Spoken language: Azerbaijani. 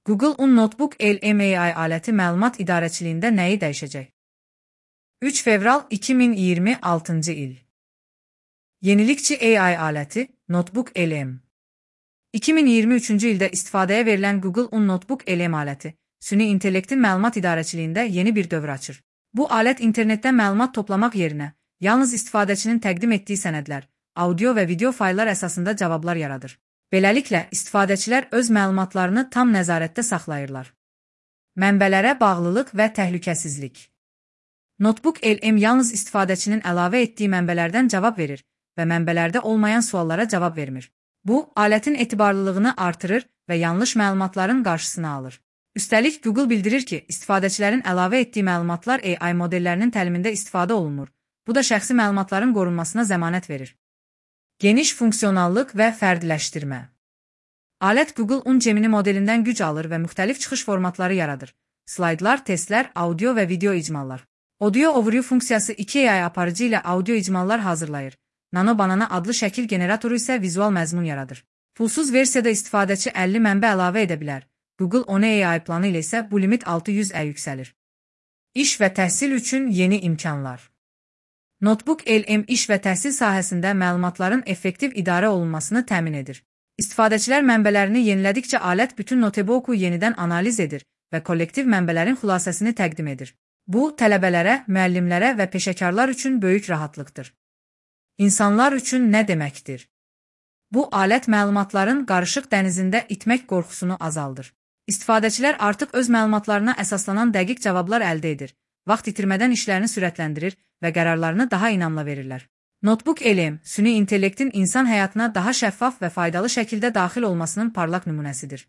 Google Un Notebook LM AI aləti məlumat idarəçiliyində nəyi dəyişəcək? 3 fevral 2026-cı il. Yenilikçi AI aləti Notebook LM. 2023-cü ildə istifadəyə verilən Google Un Notebook LM aləti, süni intellektin məlumat idarəçiliyində yeni bir dövr açır. Bu alət internetdən məlumat toplamaq yerinə, yalnız istifadəçinin təqdim etdiyi sənədlər, audio və video fayllar əsasında cavablar yaradır. Beləliklə, istifadəçilər öz məlumatlarını tam nəzarətdə saxlayırlar. Mənbələrə bağlılıq və təhlükəsizlik. Notebook LM yalnız istifadəçinin əlavə etdiyi mənbələrdən cavab verir və mənbələrdə olmayan suallara cavab vermir. Bu, alətin etibarlılığını artırır və yanlış məlumatların qarşısını alır. Üstəlik, Google bildirir ki, istifadəçilərin əlavə etdiyi məlumatlar AI modellərinin təlimində istifadə olunmur. Bu da şəxsi məlumatların qorunmasına zəmanət verir. Geniş funksionallıq və fərdiləşdirmə. Alət Google Un Gemini modelindən güc alır və müxtəlif çıxış formatları yaradır. Slaydlar, testlər, audio və video icmallar. Audio Overview funksiyası 2 AI aparıcı ilə audio icmallar hazırlayır. Nano Banana adlı şəkil generatoru isə vizual məzmun yaradır. Pulsuz versiyada istifadəçi 50 mənbə əlavə edə bilər. Google One AI planı ilə isə bu limit 600-ə yüksəlir. İş və təhsil üçün yeni imkanlar. Notebook LM iş və təhsil sahəsində məlumatların effektiv idarə olunmasını təmin edir. İstifadəçilər mənbələrini yenilədikcə alət bütün notebooku yenidən analiz edir və kollektiv mənbələrin xülasəsini təqdim edir. Bu, tələbələrə, müəllimlərə və peşəkarlar üçün böyük rahatlıqdır. İnsanlar üçün nə deməkdir? Bu, alət məlumatların qarışıq dənizində itmək qorxusunu azaldır. İstifadəçilər artıq öz məlumatlarına əsaslanan dəqiq cavablar əldə edir, vaxt itirmədən işlərini sürətləndirir və qərarlarını daha inamla verirlər. Notebook LM, süni intellektin insan həyatına daha şəffaf və faydalı şəkildə daxil olmasının parlaq nümunəsidir.